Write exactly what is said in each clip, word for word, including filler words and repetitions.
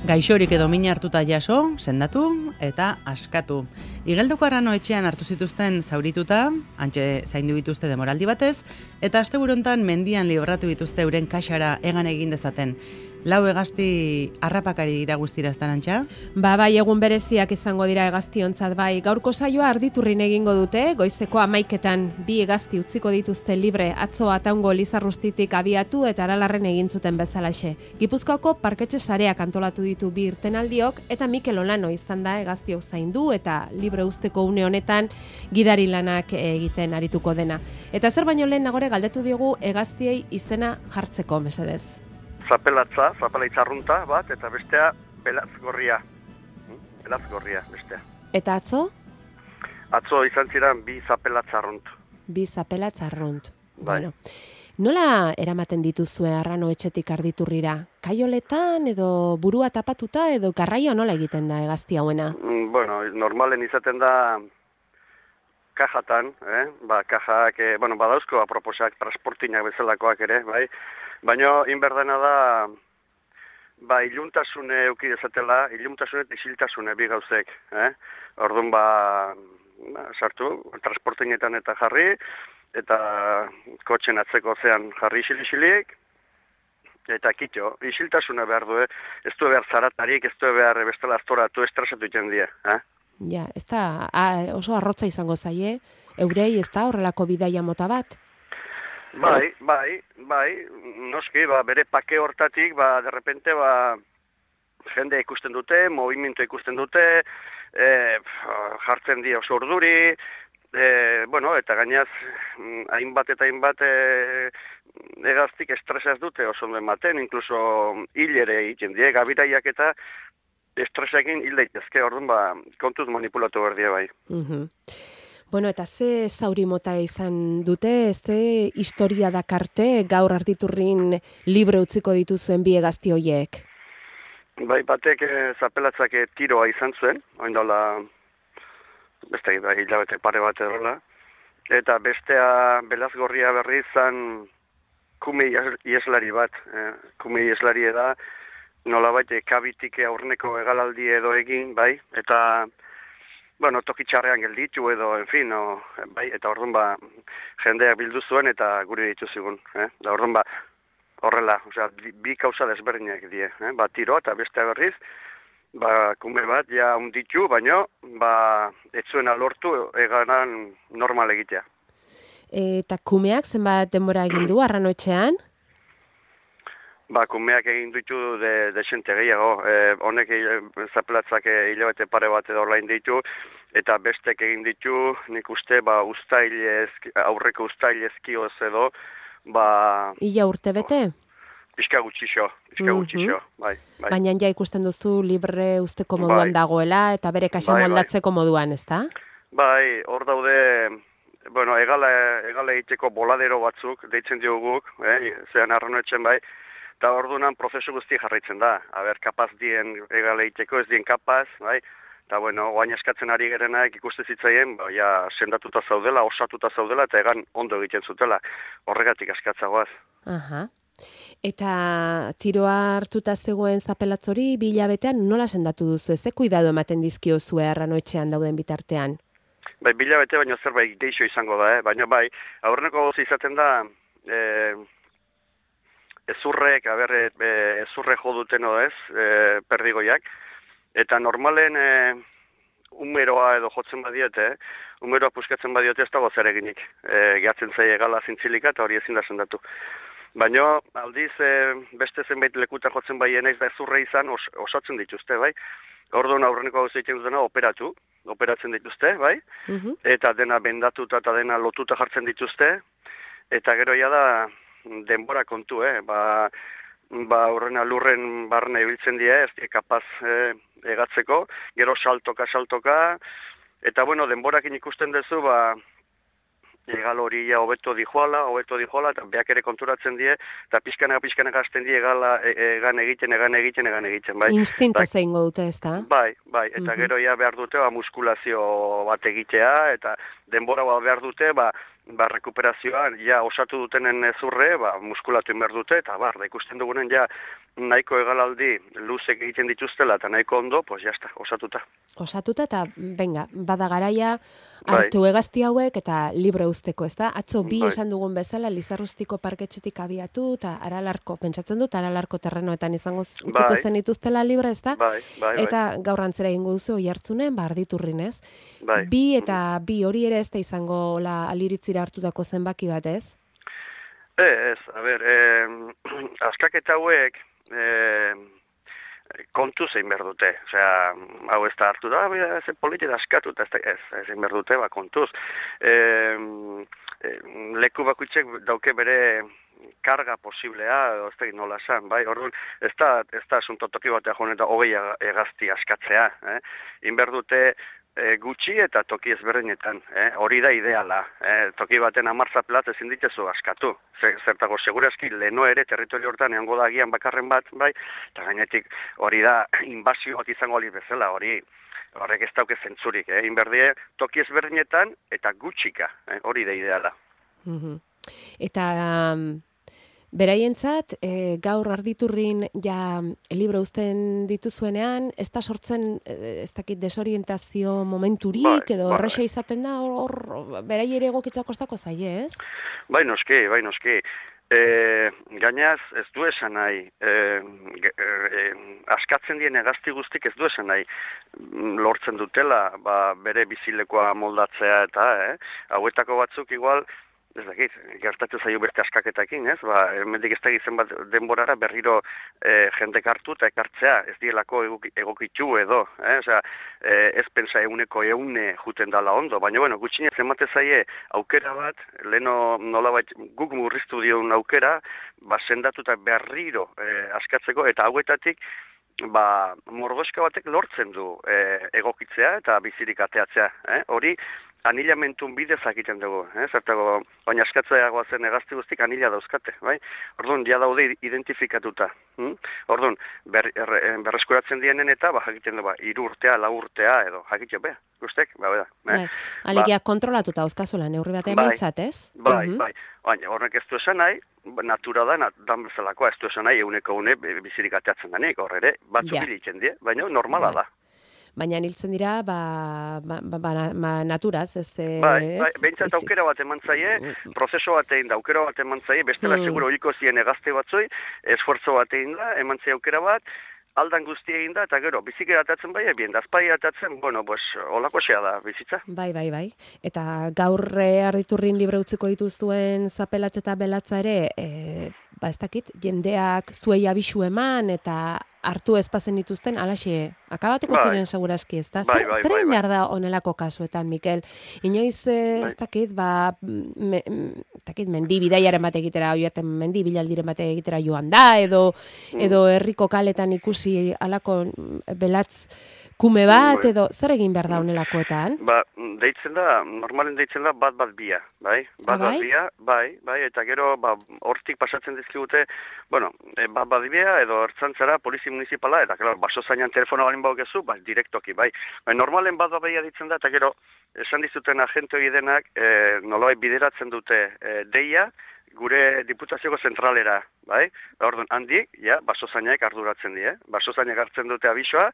Gaixorik edo mina hartuta jaso, sendatu eta askatu. Igeldoko Arrano etxean hartu zituzten zaurituta, hantxe zaindu dituzte demoraldi batez, eta asteburu hontan mendian libratu dituzte euren kaxara egan egin dezaten. Lau hegazti harrapakari dira guztira ez Arantxa? Ba, bai, egun bereziak izango dira hegaztiontzat bai. Gaurko saioa Arditurrin egingo dute, goizeko hamaiketan bi hegazti utziko dituzte libre, atzo Ataungo Lizarrustitik abiatu eta Aralarren egin zuten bezalaxe. Gipuzkoako parketxe sareak antolatu ditu bi irtenaldiok, eta Mikel Olano izan da hegaztiok zaindu eta libre uzteko une honetan gidari lanak egiten arituko dena. Eta zer baino lehen nagore galdetu diogu hegaztiei izena jartzeko, mesedez. Zapelatza, zapelaitza arrunta bat, eta bestea belaz gorria. Belaz gorria, bestea. Eta atzo? Atzo izan ziren bi zapelatza arrunt. Bi zapelatza arrunt. Bai. Bueno. Nola eramaten dituzue Arrano etxetik Arditurrira? Kaioletan edo burua tapatuta edo garraio nola egiten da hegazti hauena? Mm, bueno, normalen izaten da kajatan, eh? Ba, kajak, eh, bueno, badauzko aproposak transportinak bezalakoak ere, bai? Baina, inberdena da, ba, iluntasune euki dezatela, iluntasune eta isiltasune bi gauzek, eh? Orduan, ba, ba, sartu, transportinetan eta jarri, eta kotxen atzeko zean jarri isil-isilik, eta kitxo, isiltasuna behar du, eh? Ez du behar zaratarik, ez du behar bestela aztoratu, estresatu iten die, eh? Ja, ez da, a, oso arrotza izango zaie, eurei ez da horrelako bidaia mota bat? Bai, bai, bai, noski, ba, bere pake hortatik, ba, derrepente, ba, jende ikusten dute, movimentu ikusten dute, e, jartzen di oso urduri, e, bueno, eta gainaz, hainbat eta hainbat e, hegaztik estresaz dute oso ondo ematen, inkluso hil ere egiten die, gabiraiak eta estresakin hil daitezke, orduan, ba, kontuz manipulatu behar die, bai. Mhm. Bueno, eta ze zauri mota izan dute, ze historia dakarte gaur Arditurrin libre utziko dituzuen bi hegazti horiek? Bai, batek e, zapelatzak e, tiroa izan zuen, oindala, beste da, hilabete pare bat erola, eta bestea belazgorria berri izan kume ieslari bat, e, kume ieslari da, nolabait e, kabitik aurreneko egalaldi edo egin, bai, eta bueno, tokitxarrean gelditu edo, en fin, no, bai, eta orduan ba, jendeak bildu zuen eta guri ditu zigun, eh? Da orduan ba, horrela, osea, bi, bi kausa desberdinak die, eh? Ba, tiro eta beste berriz, ba, kume bat, ja unditu, baino, ba, ez zuena lortu eganan normal egitea. Eta kumeak zenbat denbora egin du Arrano etxean? Ba, kumeak egin ditu de, de xente gehiago, e, honek e, zapelatzak hilabete pare bat edo orlain ditu, eta bestek egin ditu, nik uste, ba, ustailez, aurreko ustailezkioz edo, ba... Ila urte bete? Pixka gutxixo, pixka mm-hmm. gutxixo, bai, bai. Baina ja ikusten duzu libre usteko moduan bai. Dagoela, eta bere kaxa bai, moldatzeko bai. Moduan, ezta? Bai, hor daude, bueno, egala, egala egiteko boladero batzuk, deitzen dioguk, eh, zean Arrano etxen bai, eta orduan prozesu guzti jarraitzen da. Aber, kapaz dien egale egiteko, ez dien kapaz, bai? Eta, bueno, oain eskatzen ari gerenak ikuste zitzaien, ba, ja, sendatuta zaudela, osatuta zaudela, eta egan ondo egiten zutela. Horregatik askatzagoaz. Aha. Eta tiroa hartuta zegoen zapelatzori, bi hilabetean nola sendatu duzu? Ze kuidado ematen dizkiozu Arrano etxean dauden bitartean? Bai, bi hilabete baino zerbait geixo izango da, eh? Baina bai, aurreneko gozi izaten da, eh, ezurrek, aber, e, ezurre jo duten edo ez, e, perdigoiak, eta normalen e, umeroa edo jotzen badiete, umeroa puskatzen badiote ez dago zer eginik, e, gehatzen zaie gala zintzilika eta hori ezin da sendatu. Baina aldiz e, beste zenbait lekuta jotzen baien ez da ezurre izan os, osatzen dituzte, bai? Orduan aurreneko gauza egiten dutena operatu, operatzen dituzte, bai? Uh-huh. Eta dena bendatuta eta dena lotuta jartzen dituzte, eta gero ja da denbora kontu, eh? Ba, ba horrena lurren barne ibiltzen die, ez die kapaz eh, egatzeko, gero saltoka, saltoka, eta bueno, denborakin ikusten duzu, ba, egal hori ja hobeto dijoala, hobeto dijoala, eta beak ere konturatzen die, eta pixkanaka, pixkanaka hasten die egala, egan egiten, egan egiten, egan egiten, bai. Instinto zeingo dute, ez da? Bai, bai, eta uh-huh. Gero ja behar dute, ba, muskulazio bat egitea, eta denbora bat behar dute, ba, ba, rekuperazioan, ja, osatu dutenen zurre, ba, muskulatu inber dute, eta bar, da ikusten dugunen, ja, nahiko egalaldi luzek egiten dituztela, eta nahiko ondo, pues jazta, osatuta. Osatuta, eta, venga, bada garaia, hartu bai. Hegazti hauek, eta libre usteko, ez da? Atzo, bi bai. Esan dugun bezala, Lizarrustiko parketxetik abiatu, eta Aralarko, pentsatzen dut, Aralarko terrenoetan izango utziko bai. Zen dituztela libre, ez da? Bai, bai, bai. Eta gaur antzera ingo duzu, oihartzunen, ba, Arditurrin, ez? Bai. Bi eta bi hori ere ez da izango la aliritzira hartutako zenbaki bat, ez? Ez, a ber, eh, askaketa hauek, eh, kontu zein behar dute. Osea, hau ez da hartu da, ez politika askatu, ez, ez, ez zein behar dute, ba, kontuz. Eh, eh, leku bakuitzek dauke bere karga posiblea, edo ez da nola esan, bai, orduan, ez da, ez da asunto toki batea joan eta hogei egazti askatzea, eh? Inber dute, E, gutxi eta toki ezberdinetan, eh? Hori da ideala, eh? Toki baten amartza plat ezin ditezu askatu, zertago segurazki leno ere territorio hortan egongo da agian bakarren bat, bai, eta gainetik hori da inbazio bat izango ali bezala, hori horrek ez dauke zentzurik, eh? Inberdie toki ezberdinetan eta gutxika, eh? Hori da ideala. Mm-hmm. Eta... Um... Beraientzat, e, gaur Arditurrin ja libro uzten dituzuenean, ez da sortzen, ez dakit, desorientazio momenturik, bai, edo erresa bai. Izaten da, hor, hor berai ere egokitzak kostako zaie, ez? Bai noski, bai noski. E, gainaz, ez du esan nahi, e, e, askatzen dien egazti guztik ez du esan nahi, lortzen dutela, ba, bere bizilekoa moldatzea eta, eh? Hauetako batzuk igual, ez dakit, gertatzen zaio beste askaketakin, ez? Ba, hemendik ez dakit zenbat denborara berriro e, jendek hartu eta ekartzea, ez dielako egokitu edo, eh? Osea, e, ez pensa euneko eune juten dala ondo, baina, bueno, gutxinez emate zaie aukera bat, leno nolabait guk murriztu dion aukera, ba, sendatu eta berriro e, askatzeko, eta hauetatik, ba, mordoska batek lortzen du e, egokitzea eta bizirik ateatzea, eh? Hori, anilamentun bidez egiten dugu, eh? Zertago, baina askatzeagoa zen egazti guztik anila dauzkate, bai? Orduan, ja daude identifikatuta. Hm? Orduan, ber, er, berreskuratzen dienen eta, ba, jakiten du, ba, iru urtea, lau urtea, edo, jakiten beha, guztek, ba, beda. Eh? Bai, alegia ba, kontrolatuta dauzkazula, neurri batean bai, behintzat, ez? Bai, uh-huh. bai, baina horrek ez du esan nahi, natura da, dan bezalakoa ez du esan nahi, euneko une bizirik ateatzen danik, horre batzuk ja. Bilitzen die, baina normala bai. Da. Baina niltzen dira, ba, ba, ba, ba naturaz, ez... Bai, bai, behintzat aukera bat eman zaie, prozeso bat egin da, aukera bat eman zaie, bestela mm. seguro hiko ziren egazte batzoi, esfuerzo bat egin da, eman zaie aukera bat, aldan guzti egin da, eta gero, bizikera atatzen bai, ebien, dazpai atatzen, bueno, pues, olako xea da, bizitza. Bai, bai, bai. Eta gaur Arditurrin libre utziko dituzuen zapelatz eta belatza ere, e, ba ez dakit, jendeak zuei abisu eman, eta hartu ezpazen dituzten, alaxe, akabatuko bai. Ziren segurazki, ez da? Bai, bai, Zer egin bai, behar da onelako kasuetan, Mikel? Inoiz, bai. Ez dakit, ba, me, ez dakit, mendi bidaiaren bate egitera, oiaten mendi bilaldiren bate egitera joan da, edo, mm. edo herriko kaletan ikusi alako belatz kume bat, mm. edo zer egin behar da onelakoetan? Ba, deitzen da, normalen deitzen da bat bat bia, bai? Bat bat bia, bai, bai, eta gero, ba, hortik pasatzen dizkigute, bueno, bat bat bia, edo ertzantzara, polizi municipala, eta gero, baso zainan telefono balin baukezu, ba, direktoki, bai. Ba, normalen bat bat bia ditzen da, eta gero, esan dizuten agente hori denak, e, nolabait bideratzen dute e, deia, gure diputazioko zentralera, bai? Orduan, handik, ja, basozainak arduratzen die, basozainak hartzen dute abisoa,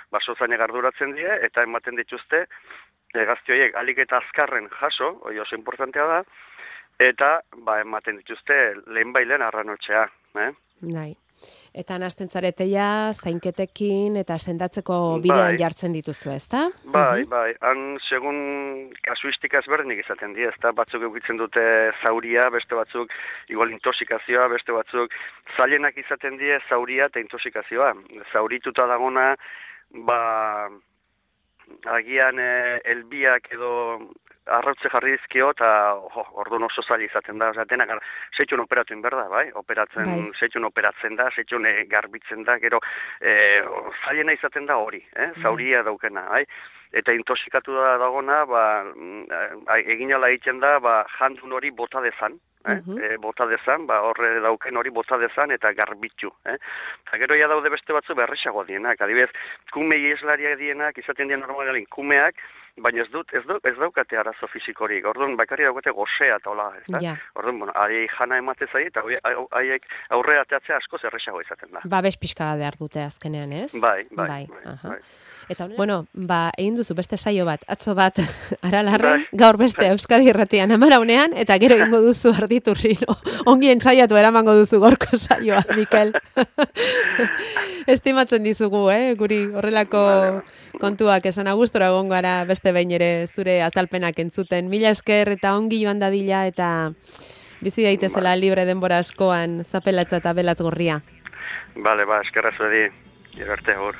basozainak arduratzen die, eta ematen dituzte, gazte horiek alik eta azkarren jaso, hori oso importantea da, eta, ba, ematen dituzte lehen bailen arranotxea, eh? Bai. Eta nahasten zareteia, zainketekin eta sendatzeko bidean bai. Jartzen dituzu, ezta? Bai, uh-huh. bai. Han, segun kasuistika ezberdinik izaten die, ezta? Batzuk eukitzen dute zauria, beste batzuk igual intoxikazioa, beste batzuk zailenak izaten die zauria eta intoxikazioa. Zaurituta dagona, ba, agian eh, elbiak edo arrautze jarri dizkio, eta oh, orduan oso zaila izaten da, oza, denak, seitxun operatu inberda, bai? Operatzen, bai. Seitxun operatzen da, seitxun e, garbitzen da, gero, e, zailena izaten da hori, eh? Zauria bai. Daukena, bai? Eta intoxikatu da dagona, ba, egin ala egiten da, ba, jandun hori bota dezan, eh? Uh-huh. e, bota dezan, ba, horre dauken hori bota dezan, eta garbitu, eh? Eta gero ja daude beste batzu berrexago dienak, adibidez, kume ieslariak dienak, izaten dien normalin, kumeak, baina ez dut, ez, dut, ez daukate arazo fizikorik, orduan bakarri daukate gozea eta hola, ez da? Ja. Orduan, bueno, ari jana emate zai, eta haiek aurre ateatzea asko zerrexago izaten da. Babes pixka behar dute azkenean, ez? Bai, bai, bai. bai, Aha. bai. Eta bueno, ba, egin duzu beste saio bat, atzo bat Aralarren, Bai. gaur beste Euskadi Irratian amaraunean, eta gero egingo duzu Arditurrin. Ongi ensaiatu eramango duzu gorko saioa, Mikel. Estimatzen dizugu, eh? Guri horrelako kontuak esan agustora egongo gara beste behin ere zure azalpenak entzuten. Mila esker eta ongi joan dadila eta bizi daitezela libre denbora askoan zapelatza eta belaz gorria. Bale, ba, eskerra zuedi, gero arte hor.